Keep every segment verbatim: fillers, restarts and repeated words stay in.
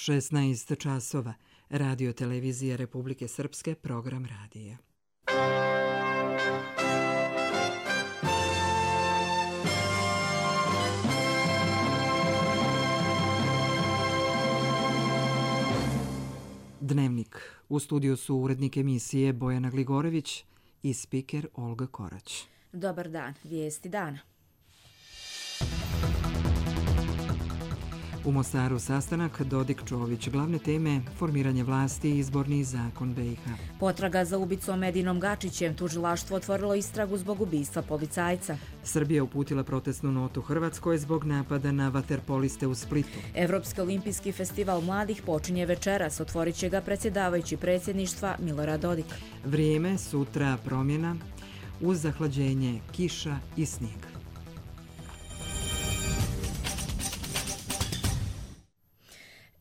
šesnaest časova. Radio televizija Republike Srpske, program radija. Dnevnik. U studiju su urednik emisije Bojana Gligorević i spiker Olga Korać. Dobar dan, vijesti dana. U Mostaru sastanak Dodik-Čović, glavne teme formiranje vlasti i izborni zakon B i H. Potraga za ubicom Edinom Gačićem, tužilaštvo otvorilo istragu zbog ubistva policajca. Srbija uputila protestnu notu Hrvatskoj zbog napada na vaterpoliste u Splitu. Evropski olimpijski festival mladih počinje večeras, otvorit će ga predsjedavajući predsjedništva Milorad Dodik. Vrijeme, sutra promjena, uz zahlađenje, kiša i snijeg.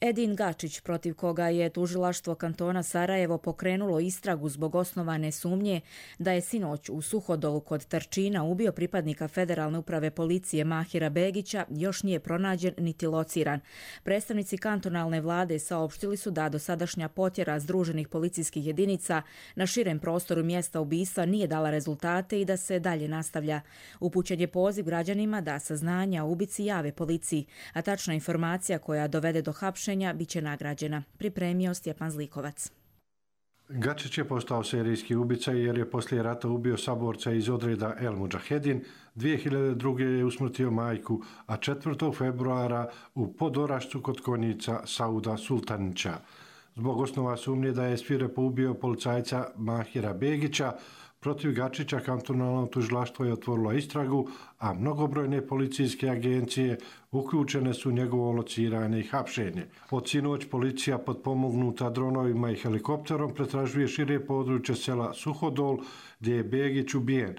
Edin Gačić, protiv koga je tužilaštvo kantona Sarajevo pokrenulo istragu zbog osnovane sumnje da je sinoć u Suhodolu kod Trčina ubio pripadnika Federalne uprave policije Mahira Begića, još nije pronađen niti lociran. Predstavnici kantonalne vlade saopštili su da dosadašnja potjera združenih policijskih jedinica na širem prostoru mjesta ubistva nije dala rezultate i da se dalje nastavlja. Upućen je poziv građanima da saznanja o ubici jave policiji, a tačna informacija koja dovede do hapšenja biće nagrađena. Pripremio Stjepan Zlikovac. Gačić je postao serijski ubica jer je poslije rata ubio saborca iz odreda El Mudžahedin, dvije hiljade druge. je usmrtio majku, a četvrtog februara u Podorašcu kod konjica Sauda Sultanića. Zbog osnova sumnje da je svirepo ubio policajca Mahira Begića, protiv Gačića kantonalno tužilaštvo je otvorilo istragu, a mnogobrojne policijske agencije uključene su u njegovo lociranje i hapšenje. Od sinoć policija potpomognuta dronovima i helikopterom pretražuje šire područje sela Suhodol, gdje je Begić ubijen.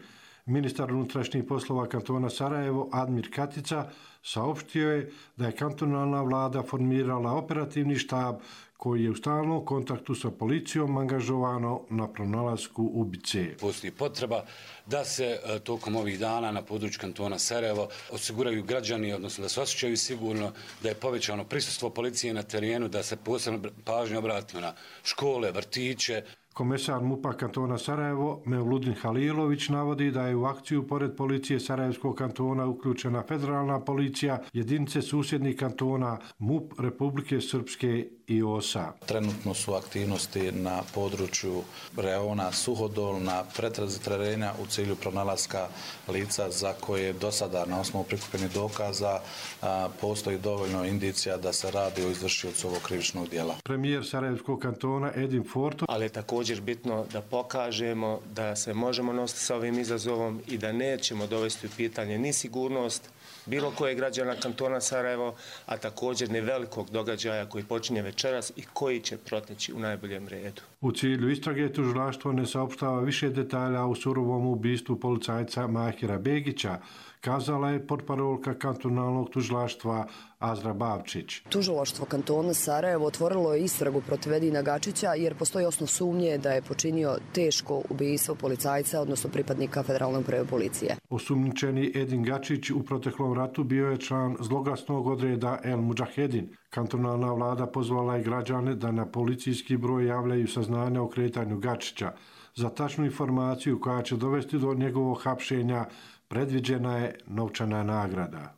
Ministar unutrašnjih poslova kantona Sarajevo, Admir Katica, saopštio je da je kantonalna vlada formirala operativni štab koji je u stalnom kontaktu sa policijom angažovano na pronalasku ubice. Postoji potreba da se tokom ovih dana na području kantona Sarajevo osiguraju građani, odnosno da se osjećaju sigurno, da je povećano prisustvo policije na terenu, da se posebno pažnje obratimo na škole, vrtiće. Komesar MUP-a kantona Sarajevo, Mevludin Halilović, navodi da je u akciju pored policije Sarajevskog kantona uključena federalna policija, jedinice susjednih kantona, MUP Republike Srpske i O S A. Trenutno su aktivnosti na području reona Suhodol na pretrazi terena u cilju pronalaska lica za koje do sada na osnovu prikupljenih dokaza a, postoji dovoljno indicija da se radi o izvršiocu ovog krivičnog djela. Premijer Sarajevskog kantona Edin Forto, ali je također bitno da pokažemo da se možemo nositi sa ovim izazovom i da nećemo dovesti u pitanje ni sigurnost bilo kojeg građana kantona Sarajevo, a također ni velikog događaja koji počinje večeras i koji će proteći u najboljem redu. U cilju istrage tužilaštvo ne saopštava više detalja o surovom ubistvu policajca Mahira Begića, kazala je portparolka kantonalnog tužilaštva Azra Bavčić. Tužilaštvo kantona Sarajevo otvorilo je istragu protiv Edina Gačića jer postoji osnov sumnje da je počinio teško ubistvo policajca, odnosno pripadnika Federalne uprave policije. Osumnjičeni Edin Gačić u proteklom ratu bio je član zloglasnog odreda El Mudžahedin. Kantonalna vlada pozvala je građane da na policijski broj javljaju saznanja o kretanju Gačića. Za tačnu informaciju koja će dovesti do njegovog hapšenja predviđena je novčana nagrada.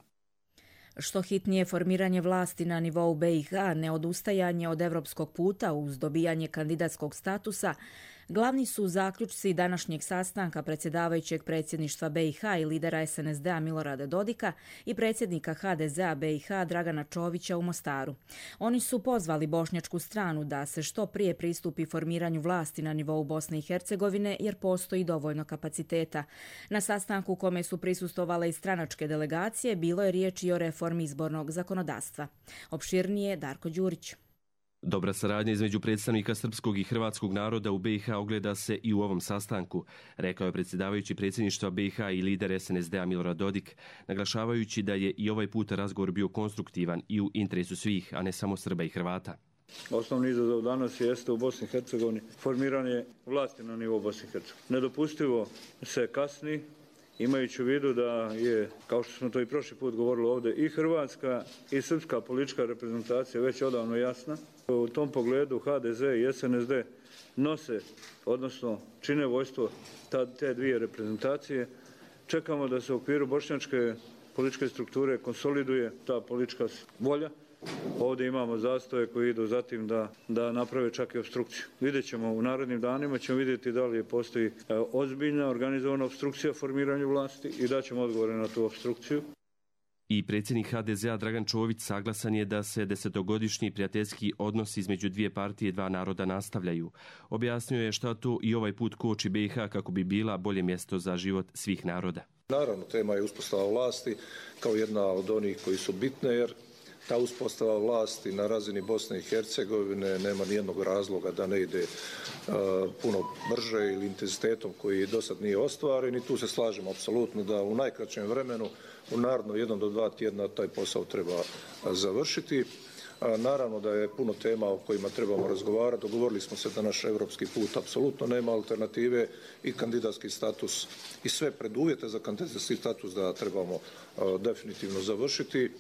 Što hitnije formiranje vlasti na nivou B i H, neodustajanje od evropskog puta uz dobijanje kandidatskog statusa, glavni su zaključci današnjeg sastanka predsjedavajućeg predsjedništva B i H i lidera S N S D-a Milorada Dodika i predsjednika H D Z-a B i H Dragana Čovića u Mostaru. Oni su pozvali bošnjačku stranu da se što prije pristupi formiranju vlasti na nivou Bosne i Hercegovine jer postoji dovoljno kapaciteta. Na sastanku u kome su prisustvovale i stranačke delegacije bilo je riječ i o reformi izbornog zakonodavstva. Opširnije Darko Đurić. Dobra saradnja između predstavnika srpskog i hrvatskog naroda u B i H ogleda se i u ovom sastanku, rekao je predsjedavajući predsjedništva B i H i lider S N S D-a Milorad Dodik, naglašavajući da je i ovaj put razgovor bio konstruktivan i u interesu svih, a ne samo Srba i Hrvata. Osnovni izazov danas jeste u Bosni i Hercegovini formiranje vlasti na nivou Bosne i Hercegovine. Nedopustivo se kasni imajući u vidu da je, kao što smo to i prošli put govorili ovdje, i hrvatska i srpska politička reprezentacija već odavno jasna. U tom pogledu H D Z i S N S D nose, odnosno čine vojstvo te dvije reprezentacije. Čekamo da se u okviru bošnjačke političke strukture konsoliduje ta politička volja. Ovdje imamo zastoje koji idu zatim da, da naprave čak i obstrukciju. Vidjet ćemo u narednim danima, ćemo vidjeti da li postoji ozbiljna organizovana obstrukcija formiranju vlasti i da ćemo odgovore na tu obstrukciju. I predsjednik H D Z-a Dragan Čović saglasan je da se desetogodišnji prijateljski odnos između dvije partije i dva naroda nastavljaju. Objasnio je šta to i ovaj put koči B i H kako bi bila bolje mjesto za život svih naroda. Naravno, tema je uspostava vlasti kao jedna od onih koji su bitne, jer ta uspostava vlasti na razini Bosne i Hercegovine nema nijednog razloga da ne ide uh, puno brže ili intenzitetom koji do sad nije ostvaren i tu se slažemo apsolutno da u najkraćem vremenu, u naredno jedan do dva tjedna taj posao treba završiti. Uh, naravno da je puno tema o kojima trebamo razgovarati. Dogovorili smo se da naš evropski put apsolutno nema alternative i kandidatski status i sve preduvjete za kandidatski status da trebamo uh, definitivno završiti.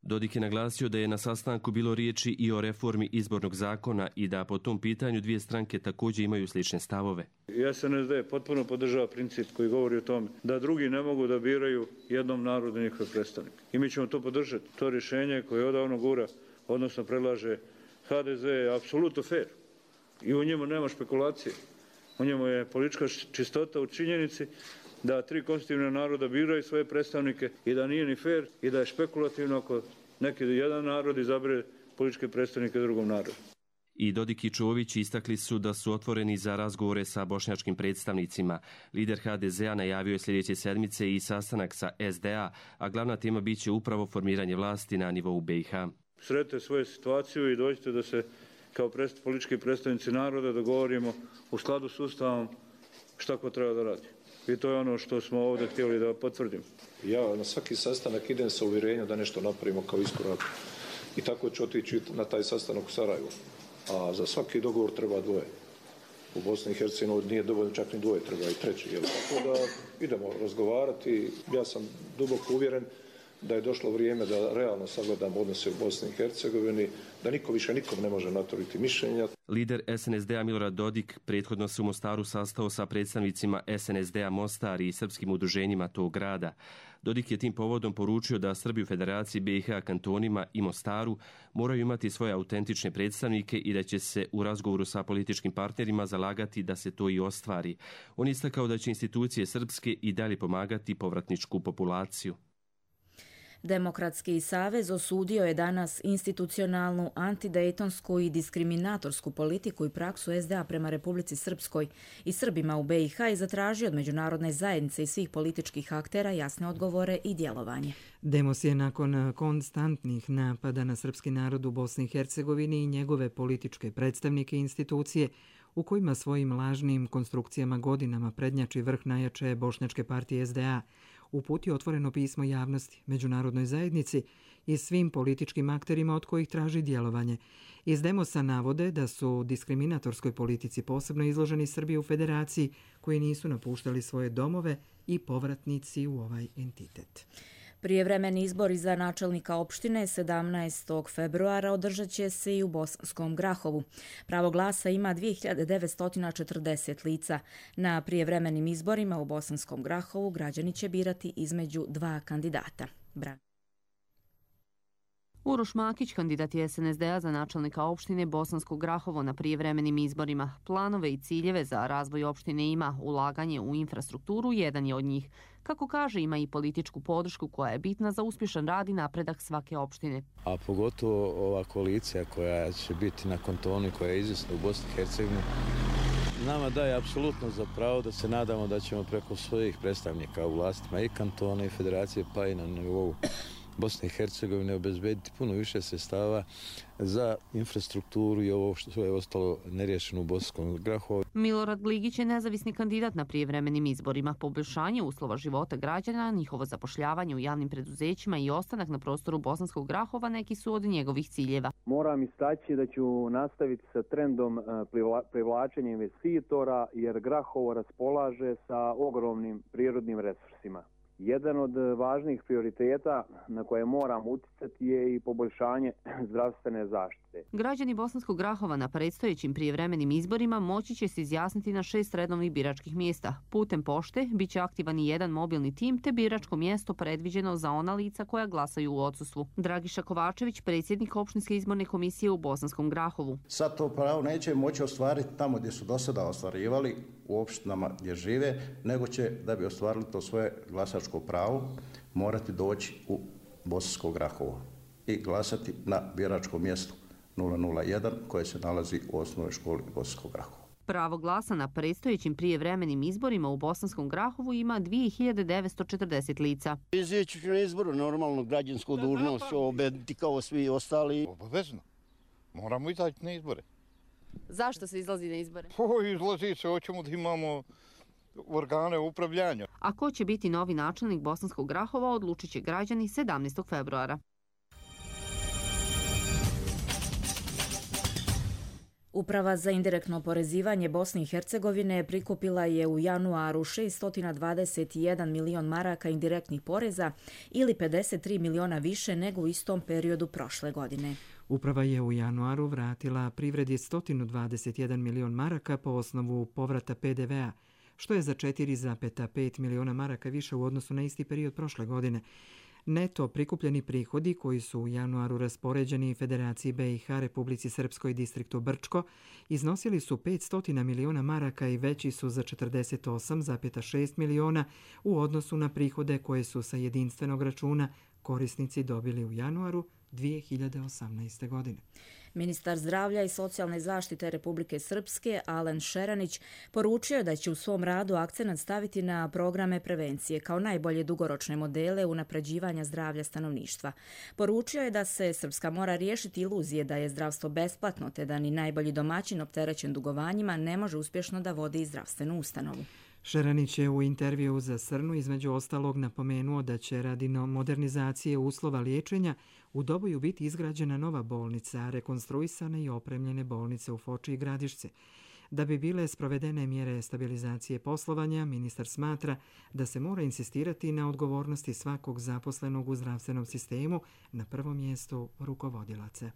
Dodik je naglasio da je na sastanku bilo riječi i o reformi izbornog zakona i da po tom pitanju dvije stranke također imaju slične stavove. S N S D potpuno podržava princip koji govori o tome da drugi ne mogu da biraju jednom narodu njihove predstavnike. I mi ćemo to podržati. To rješenje koje odavno gura, odnosno predlaže H D Z je apsolutno fair. I u njemu nema špekulacije. U njemu je politička čistota u činjenici da tri konstitutivna naroda biraju svoje predstavnike i da nije ni fair i da je špekulativno ako neki jedan narod izabere političke predstavnike drugom narodu. I Dodik i Čović istakli su da su otvoreni za razgovore sa bošnjačkim predstavnicima. Lider H D Z-a najavio je sljedeće sedmice i sastanak sa S D A, a glavna tema bit će upravo formiranje vlasti na nivou B i H. Sretite svoju situaciju i dođite da se kao predst, politički predstavnici naroda dogovorimo u skladu s Ustavom šta ko treba da radi. I to je ono što smo ovdje htjeli da potvrdimo. Ja na svaki sastanak idem sa uvjerenjem da nešto napravimo kao iskorak. I tako ću otići na taj sastanak u Sarajevu. A za svaki dogovor treba dvoje. U Bosni i Hercegovini nije dovoljno čak ni dvoje, treba i treći. Jel? Tako da idemo razgovarati. Ja sam duboko uvjeren da je došlo vrijeme da realno sagledamo odnose u Bosni i Hercegovini, da niko više nikom ne može naturiti mišljenja. Lider S N S D-a Milorad Dodik prethodno se u Mostaru sastao sa predstavnicima S N S D-a Mostar i srpskim udruženjima tog grada. Dodik je tim povodom poručio da Srbi u Federaciji B i H kantonima i Mostaru moraju imati svoje autentične predstavnike i da će se u razgovoru sa političkim partnerima zalagati da se to i ostvari. On istakao da će institucije srpske i dalje pomagati povratničku populaciju. Demokratski savez osudio je danas institucionalnu, antidejtonsku i diskriminatorsku politiku i praksu S D A prema Republici Srpskoj i Srbima u B i H i zatražio od međunarodne zajednice i svih političkih aktera jasne odgovore i djelovanje. Demos je nakon konstantnih napada na srpski narod u Bosni i Hercegovini i njegove političke predstavnike i institucije, u kojima svojim lažnim konstrukcijama godinama prednjači vrh najjače bošnjačke partije S D A, uputio otvoreno pismo javnosti, međunarodnoj zajednici i svim političkim akterima od kojih traži djelovanje. Iz Demosa navode da su diskriminatorskoj politici posebno izloženi Srbi u Federaciji koji nisu napuštali svoje domove i povratnici u ovaj entitet. Prijevremeni izbori za načelnika opštine sedamnaestog februara održat će se i u Bosanskom Grahovu. Pravo glasa ima dvije hiljade devetsto četrdeset lica. Na prijevremenim izborima u Bosanskom Grahovu građani će birati između dva kandidata. Bra. Uroš Makić, kandidat je S N S D-a za načelnika opštine Bosansko Grahovo na prijevremenim izborima. Planove i ciljeve za razvoj opštine ima, ulaganje u infrastrukturu jedan je od njih. Kako kaže, ima i političku podršku koja je bitna za uspješan rad i napredak svake opštine. A pogotovo ova koalicija koja će biti na kantonu i koja je izvjesna u Bosni i Hercegovini, nama daje apsolutno za pravo da se nadamo da ćemo preko svojih predstavnika u vlastima i kantona i federacije pa i na nivou Bosne i Hercegovine obezbediti puno više sredstava za infrastrukturu i ovo što je ostalo neriješeno u Bosanskom Grahovu. Milorad Gligić je nezavisni kandidat na prijevremenim izborima. Poboljšanje uslova života građana, njihovo zapošljavanje u javnim preduzećima i ostanak na prostoru Bosanskog Grahova neki su od njegovih ciljeva. Moram istaći da ću nastaviti sa trendom privlačenja investitora jer Grahovo raspolaže sa ogromnim prirodnim resursima. Jedan od važnih prioriteta na koje moram uticati je i poboljšanje zdravstvene zaštite. Građani Bosanskog Grahova na predstojećim prijevremenim izborima moći će se izjasniti na šest redovnih biračkih mjesta. Putem pošte bit će aktivan i jedan mobilni tim te biračko mjesto predviđeno za ona lica koja glasaju u odsustvu. Dragiša Kovačević, predsjednik opštinske izborne komisije u Bosanskom Grahovu. Sad to pravo neće moći ostvariti tamo gdje su do sada ostvarivali u opštinama gdje žive, nego će, da bi ostvarili to svoje glasačko pravo, morati doći u Bosansko Grahovo i glasati na biračkom mjestu nula nula jedan koje se nalazi u osnovnoj školi Bosanskog Grahova. Pravo glasa na predstojećim prijevremenim izborima u Bosanskom Grahovu ima dvije hiljade devetsto četrdeset lica. Izaći ću na izboru, normalno građansku dužnost ću obediti kao svi ostali. Obavezno. Moramo izaći na izbore. Zašto se izlazi na izbore? O, izlazi se, hoćemo da imamo organe upravljanja. A ko će biti novi načelnik Bosanskog Grahova odlučit će građani sedamnaestog februara. Uprava za indirektno oporezivanje Bosne i Hercegovine prikupila je u januaru šessto dvadeset jedan milion maraka indirektnih poreza ili pedeset tri miliona više nego u istom periodu prošle godine. Uprava je u januaru vratila privredi sto dvadeset jedan milion maraka po osnovu povrata pe de ve a, što je za četiri zarez pet miliona maraka više u odnosu na isti period prošle godine. Neto prikupljeni prihodi koji su u januaru raspoređeni Federaciji be i ha, Republici Srpskoj i distriktu Brčko iznosili su petsto miliona maraka i veći su za četrdeset osam zarez šest miliona u odnosu na prihode koje su sa jedinstvenog računa korisnici dobili u januaru dvije hiljade osamnaeste. godine. Ministar zdravlja i socijalne zaštite Republike Srpske, Alen Šeranić, poručio je da će u svom radu akcenat staviti na programe prevencije kao najbolje dugoročne modele unapređivanja zdravlja stanovništva. Poručio je da se Srpska mora riješiti iluzije da je zdravstvo besplatno, te da ni najbolji domaćin opterećen dugovanjima ne može uspješno da vodi zdravstvenu ustanovu. Šeranić je u intervjuu za Srnu između ostalog napomenuo da će radi modernizacije uslova liječenja u Doboju biti izgrađena nova bolnica, rekonstruisane i opremljene bolnice u Foči i Gradišce. Da bi bile sprovedene mjere stabilizacije poslovanja, ministar smatra da se mora insistirati na odgovornosti svakog zaposlenog u zdravstvenom sistemu, na prvom mjestu rukovodilaca.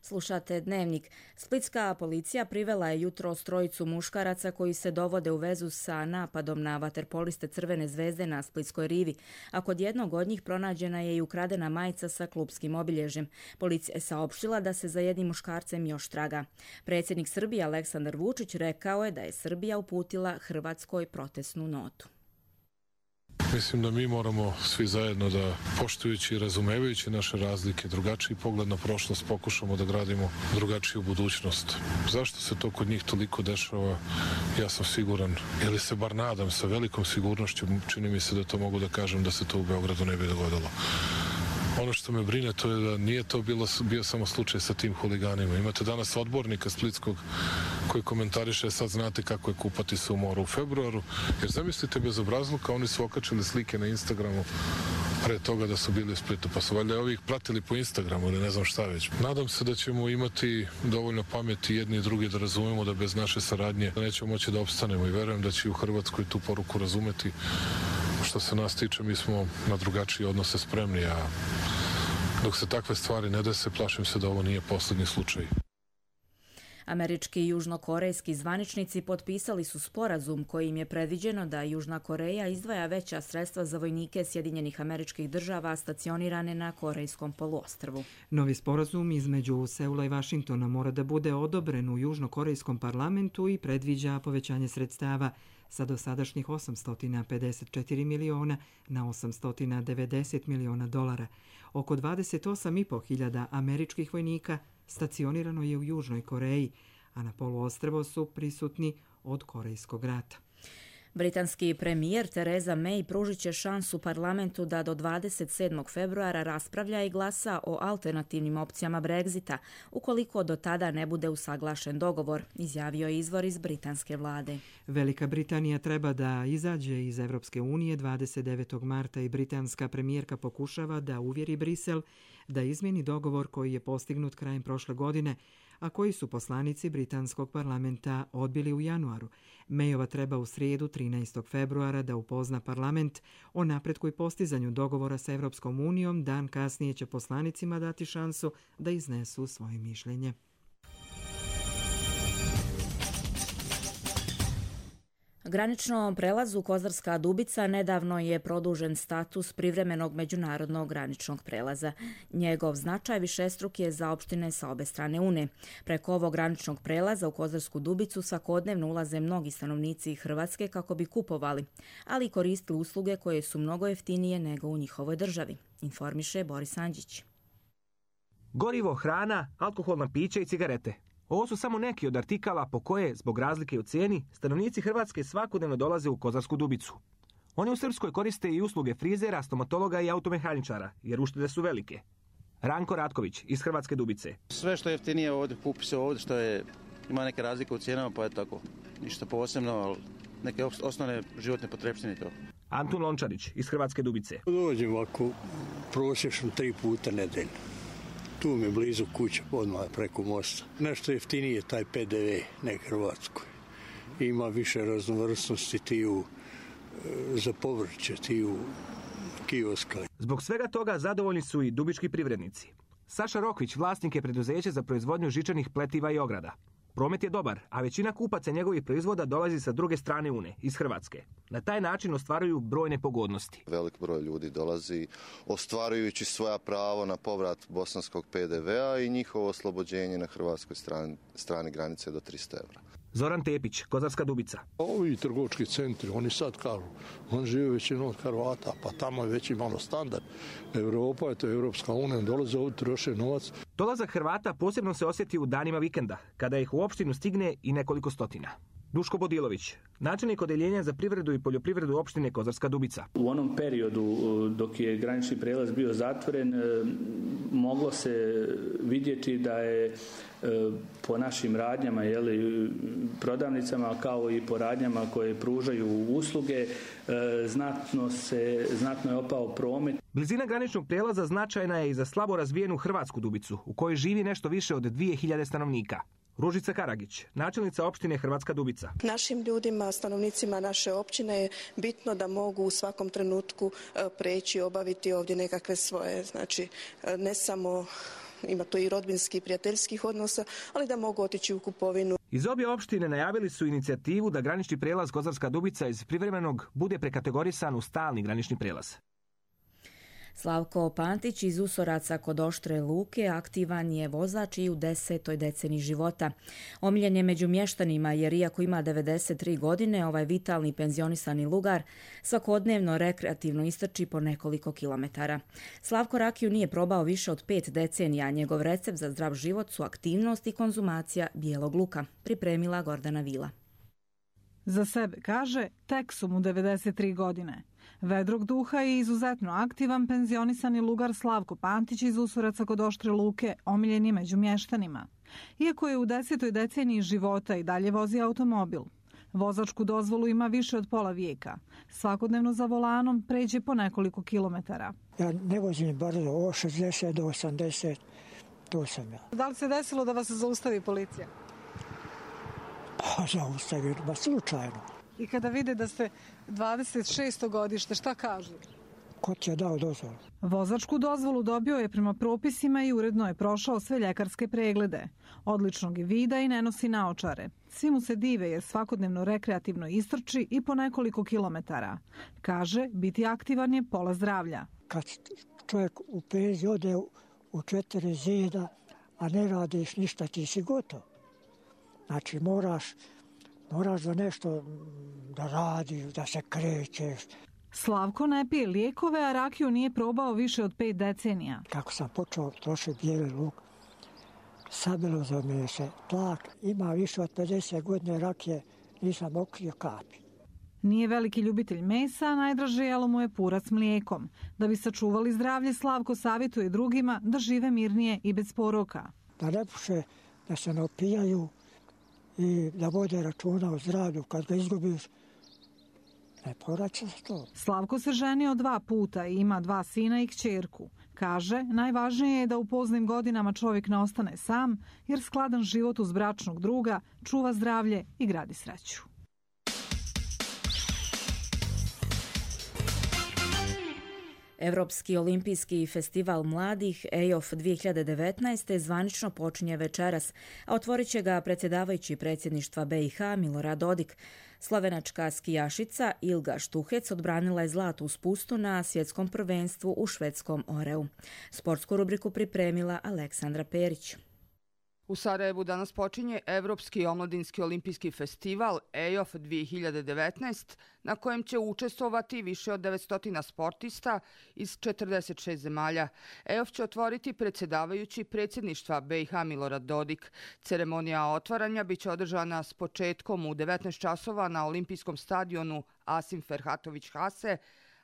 Slušate Dnevnik. Splitska policija privela je jutros trojicu muškaraca koji se dovode u vezu sa napadom na vaterpoliste Crvene zvezde na Splitskoj rivi, a kod jednog od njih pronađena je i ukradena majica sa klupskim obilježjem. Policija je saopštila da se za jednim muškarcem još traga. Predsjednik Srbije Aleksandar Vučić rekao je da je Srbija uputila Hrvatskoj protestnu notu. Mislim da mi moramo svi zajedno da, poštujući i razumevajući naše razlike, drugačiji pogled na prošlost, pokušamo da gradimo drugačiju budućnost. Zašto se to kod njih toliko dešava, ja sam siguran, ili se bar nadam sa velikom sigurnošću, čini mi se da to mogu da kažem da se to u Beogradu ne bi dogodilo. Ono što me brine to je da nije to bilo, bio samo slučaj sa tim huliganima. Imate danas odbornika splitskog koji komentariše sad znate kako je kupati se u moru u februaru. Jer zamislite bezobrazluka, oni su okačili slike na Instagramu pre toga da su bili u Splitu, pa su valjda ovih pratili po Instagramu ili ne znam šta već. Nadam se da ćemo imati dovoljno pameti jedni i drugi da razumemo da bez naše saradnje nećemo moći da opstanemo i verujem da će i u Hrvatskoj tu poruku razumeti. Što se nas tiče, mi smo na drugačije odnose spremni, a dok se takve stvari ne dese, plašim se da ovo nije posljednji slučaj. Američki i južnokorejski zvaničnici potpisali su sporazum kojim je predviđeno da Južna Koreja izdvaja veća sredstva za vojnike Sjedinjenih Američkih Država stacionirane na Korejskom poluostrvu. Novi sporazum između Seula i Vašingtona mora da bude odobren u Južnokorejskom parlamentu i predviđa povećanje sredstava sa dosadašnjih osamsto pedeset četiri miliona na osamsto devedeset miliona dolara. Oko dvadeset osam i po hiljada američkih vojnika stacionirano je u Južnoj Koreji, a na poluostrvo su prisutni od Korejskog rata. Britanski premijer Theresa May pružit će šansu parlamentu da do dvadeset sedmog februara raspravlja i glasa o alternativnim opcijama Brexita, ukoliko do tada ne bude usaglašen dogovor, izjavio je izvor iz britanske vlade. Velika Britanija treba da izađe iz Evropske unije dvadeset devetog marta i britanska premijerka pokušava da uvjeri Brisel da izmjeni dogovor koji je postignut krajem prošle godine, a koji su poslanici britanskog parlamenta odbili u januaru. Mayova treba u srijedu trinaestog februara da upozna parlament o napretku i postizanju dogovora sa Evropskom unijom. Dan kasnije će poslanicima dati šansu da iznesu svoje mišljenje. Graničnom prelazu Kozarska Dubica nedavno je produžen status privremenog međunarodnog graničnog prelaza. Njegov značaj višestruk je za opštine sa obe strane Une. Preko ovog graničnog prelaza u Kozarsku Dubicu svakodnevno ulaze mnogi stanovnici Hrvatske kako bi kupovali, ali i koristili usluge koje su mnogo jeftinije nego u njihovoj državi, informiše Boris Andžić. Gorivo, hrana, alkoholna pića i cigarete. Ovo su samo neki od artikala po koje, zbog razlike u cijeni, stanovnici Hrvatske svakodnevno dolaze u Kozarsku Dubicu. Oni u Srpskoj koriste i usluge frizera, stomatologa i automehaničara, jer uštede su velike. Ranko Ratković iz Hrvatske Dubice. Sve što je jeftinije ovdje, kupi se ovdje, što je, ima neke razlike u cijenama, pa je tako. Ništa posebno, ali neke osnovne životne potrepštine to. Antun Lončarić iz Hrvatske Dubice. Dođem ovako prosječno tri puta nedeljno. Tu mi je blizu kuća, odmah preko mosta. Nešto jeftinije taj P D V, ne Hrvatskoj. Ima više raznovrsnosti tiju za povrće, tiju kioska. Zbog svega toga zadovoljni su i dubički privrednici. Saša Rokvić vlasnik je preduzeće za proizvodnju žičanih pletiva i ograda. Promet je dobar, a većina kupaca njegovih proizvoda dolazi sa druge strane Une, iz Hrvatske. Na taj način ostvaruju brojne pogodnosti. Velik broj ljudi dolazi ostvarujući svoja pravo na povrat bosanskog P D V-a i njihovo oslobođenje na hrvatskoj strani, strani granice do trista eura. Zoran Tepić, Kozarska Dubica. Ovi trgovački centri, oni sad kažu, on žive većinom od Hrvata, pa tamo je već imalo standard. Evropa je to Evropska unija, dolaze ovdje, troše novac. Dolazak Hrvata posebno se osjeti u danima vikenda, kada ih u opštinu stigne i nekoliko stotina. Duško Bodilović, načelnik odeljenja za privredu i poljoprivredu opštine Kozarska Dubica. U onom periodu dok je granični prijelaz bio zatvoren, moglo se vidjeti da je po našim radnjama, jeli, prodavnicama, kao i po radnjama koje pružaju usluge, znatno, se, znatno je opao promet. Blizina graničnog prijelaza značajna je i za slabo razvijenu Hrvatsku Dubicu, u kojoj živi nešto više od dvije hiljade stanovnika. Ružica Karagić, načelnica opštine Hrvatska Dubica. Našim ljudima, stanovnicima naše općine je bitno da mogu u svakom trenutku preći, obaviti ovdje nekakve svoje, znači ne samo, ima to i rodbinski i prijateljskih odnosa, ali da mogu otići u kupovinu. Iz obje opštine najavili su inicijativu da granični prijelaz Kozarska Dubica iz privremenog bude prekategorisan u stalni granični prijelaz. Slavko Pantić iz Usoraca kod Oštre Luke aktivan je vozač i u desetoj deceniji života. Omiljen je među mještanima jer iako ima devedeset tri godine, ovaj vitalni penzionisani lugar svakodnevno rekreativno istrči po nekoliko kilometara. Slavko rakiju nije probao više od pet decenija, a njegov recept za zdrav život su aktivnost i konzumacija bijelog luka, pripremila Gordana Vila. Za sebe kaže, tek su mu devedeset tri godine. Vedrog duha i izuzetno aktivan penzionisani lugar Slavko Pantić iz Usoraca kod Oštre Luke omiljen je među mještanima. Iako je u desetoj deceniji života i dalje vozi automobil. Vozačku dozvolu ima više od pola vijeka. Svakodnevno za volanom pređe po nekoliko kilometara. Ja ne vozim brzo, o šezdeset do osamdeset, to sam ja. Da li se desilo da vas zaustavi policija? Pa zaustavi, ba slučajno. I kada vide da ste dvadeset šesto godište, šta kažu? Ko ti je dao dozvolu? Vozačku dozvolu dobio je prema propisima i uredno je prošao sve ljekarske preglede. Odličnog je vida i ne nosi naočare. Svi mu se dive jer svakodnevno rekreativno istrči i po nekoliko kilometara. Kaže, biti aktivan je pola zdravlja. Kad čovjek u penziji ode u četiri zida, a ne radiš ništa, ti si gotov. Znači moraš Moraš da nešto da radiš, da se krećeš. Slavko ne pije lijekove, a rakiju nije probao više od pet decenija. Kako sam počeo trošiti bijeli luk, sabilo za me se tlak. Ima više od pedeset godine rakije, nisam okrio kapi. Nije veliki ljubitelj mesa, a najdraže jelo mu je purac mlijekom. Da bi sačuvali zdravlje, Slavko savjetuje drugima da žive mirnije i bez poroka. Da ne puše, da se ne opijaju i da vode računa o zdravlju. Kad ga izgubiš, ne povraća se to. Slavko se ženio dva puta i ima dva sina i kćerku. Kaže, najvažnije je da u poznim godinama čovjek ne ostane sam, jer skladan život uz bračnog druga čuva zdravlje i gradi sreću. Evropski olimpijski festival mladih E O F dvije hiljade devetnaest. zvanično počinje večeras, a otvorit će ga predsjedavajući predsjedništva B i H Milorad Dodik. Slovenačka skijašica Ilga Štuhec odbranila je zlato u spustu na svjetskom prvenstvu u švedskom Oreu. Sportsku rubriku pripremila Aleksandra Perić. U Sarajevu danas počinje Evropski omladinski olimpijski festival E O F dvije hiljade devetnaest, na kojem će učestvovati više od devetsto sportista iz četrdeset šest zemalja. E O F će otvoriti predsjedavajući predsjedništva B i H Milorad Dodik. Ceremonija otvaranja biće održana s početkom u devetnaest časova na olimpijskom stadionu Asim Ferhatović Hase,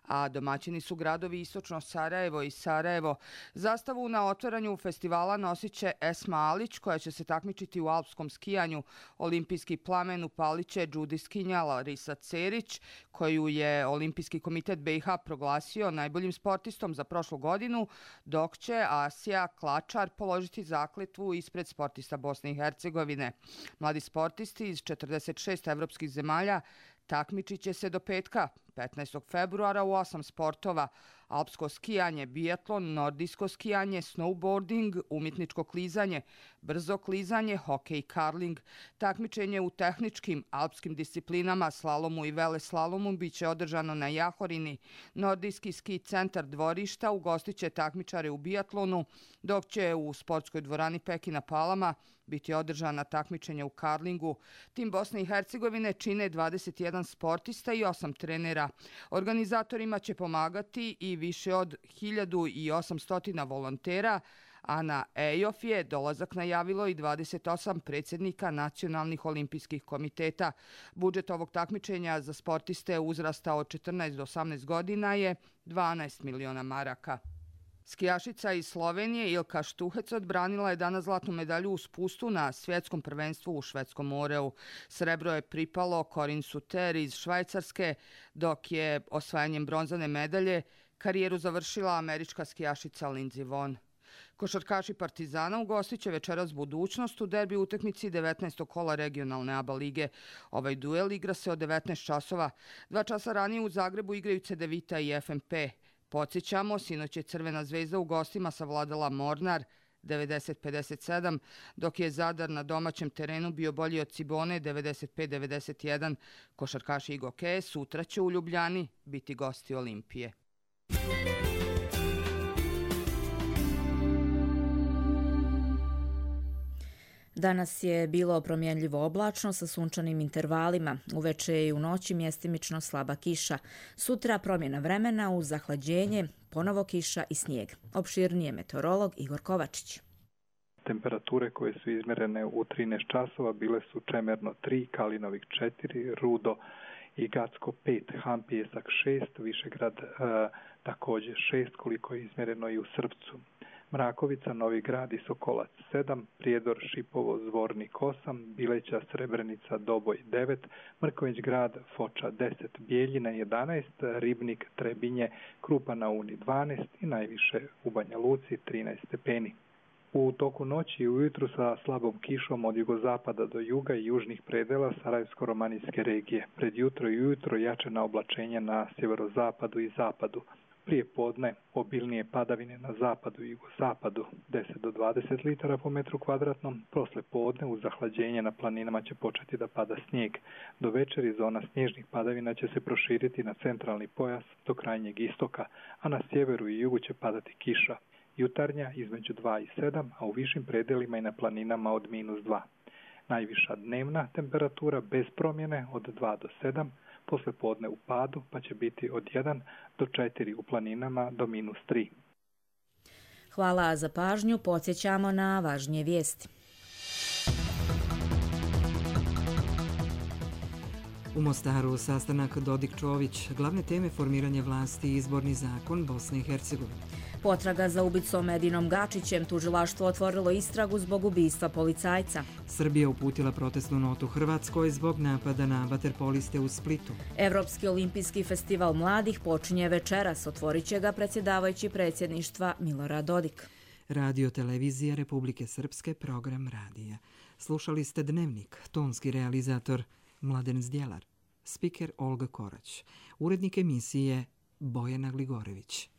a domaćini su gradovi Istočno Sarajevo i Sarajevo. Zastavu na otvaranju festivala nosit će Esma Alić, koja će se takmičiti u alpskom skijanju. Olimpijski plamen upalit će džudiskinja Larisa Cerić, koju je Olimpijski komitet B i H proglasio najboljim sportistom za prošlu godinu, dok će Asija Klačar položiti zakletvu ispred sportista Bosne i Hercegovine. Mladi sportisti iz četrdeset šest evropskih zemalja takmičit će se do petka, petnaestog februara u osam sportova: alpsko skijanje, biatlon, nordijsko skijanje, snowboarding, umjetničko klizanje, brzo klizanje, hokej i karling. Takmičenje u tehničkim alpskim disciplinama, slalomu i veleslalomu, bit će održano na Jahorini. Nordijski ski centar Dvorišta ugostit će takmičare u biatlonu, dok će u sportskoj dvorani Pekina Palama biti održana takmičenja u karlingu. Tim Bosne i Hercegovine čine dvadeset jedan sportista i osam trenera. Organizatorima će pomagati i više od hiljadu osamsto volontera, a na E O F je dolazak najavilo i dvadeset osam predsjednika nacionalnih olimpijskih komiteta. Budžet ovog takmičenja za sportiste uzrasta od četrnaest do osamnaest godina je dvanaest miliona maraka. Skijašica iz Slovenije Ilka Štuhec odbranila je danas zlatnu medalju u spustu na svjetskom prvenstvu u švedskom Oreu. Srebro je pripalo Corinne Suter iz Švajcarske, dok je osvajanjem bronzane medalje karijeru završila američka skijašica Lindsey Vonn. Košarkaši Partizana ugostit će večeras Budućnost u derbi utakmici devetnaestog kola regionalne A B A lige. Ovaj duel igra se od devetnaest časova. Dva časa ranije u Zagrebu igraju Cedevita i F M P. Podsjećamo, sinoć je Crvena zvezda u gostima savladala Mornar devedeset pedeset sedam, dok je Zadar na domaćem terenu bio bolji od Cibone devedeset pet devedeset jedan. Košarkaši i Gokeje sutra će u Ljubljani biti gosti Olimpije. Danas je bilo promjenljivo oblačno sa sunčanim intervalima. Uveče i u noći mjestimično slaba kiša. Sutra promjena vremena uz zahlađenje, ponovo kiša i snijeg. Opširnije meteorolog Igor Kovačić. Temperature koje su izmjerene u trinaest časova bile su Čemerno tri, Kalinovik četiri, Rudo i Gacko pet, Hampijesak šest, Višegrad e, također šest, koliko je izmjereno i u Srpcu. Mrakovica, Novi Grad i Sokolac sedam, Prijedor, Šipovo, Zvornik osam, Bileća, Srebrenica, Doboj devet, Mrković Grad, Foča deset, Bijeljina jedanaest, Ribnik, Trebinje, Krupa na Uni dvanaest i najviše u Banja Luci trinaest stepeni. U toku noći i ujutru sa slabom kišom od jugozapada do juga i južnih predela Sarajevsko-romanijske regije. Pred jutro i ujutro jačana oblačenja na sjeverozapadu i zapadu. Prije podne obilnije padavine na zapadu i jugozapadu deset do dvadeset litara po metru kvadratnom. Posle podne uz zahlađenje na planinama će početi da pada snijeg. Do večeri zona snježnih padavina će se proširiti na centralni pojas do krajnjeg istoka, a na sjeveru i jugu će padati kiša. Jutarnja između dva i sedam, a u višim predelima i na planinama od minus dva. Najviša dnevna temperatura bez promjene od dva do sedam, posle podne u padu pa će biti od jedan do četiri u planinama do minus tri. Hvala za pažnju, podsjećamo na važnije vijesti. U Mostaru sastanak Dodik-Čović, glavne teme formiranje vlasti i izborni zakon Bosne i Hercegovine. Potraga za ubicom Edinom Gačićem, tužilaštvo otvorilo istragu zbog ubistva policajca. Srbija uputila protestnu notu Hrvatskoj zbog napada na vaterpoliste u Splitu. Evropski olimpijski festival mladih počinje večeras, otvorit će ga predsjedavajući predsjedništva Milorad Dodik. Radio Televizija Republike Srpske, program radija. Slušali ste Dnevnik, tonski realizator Mladen Zdjelar, spiker Olga Korać, urednik emisije Bojana Gligorević.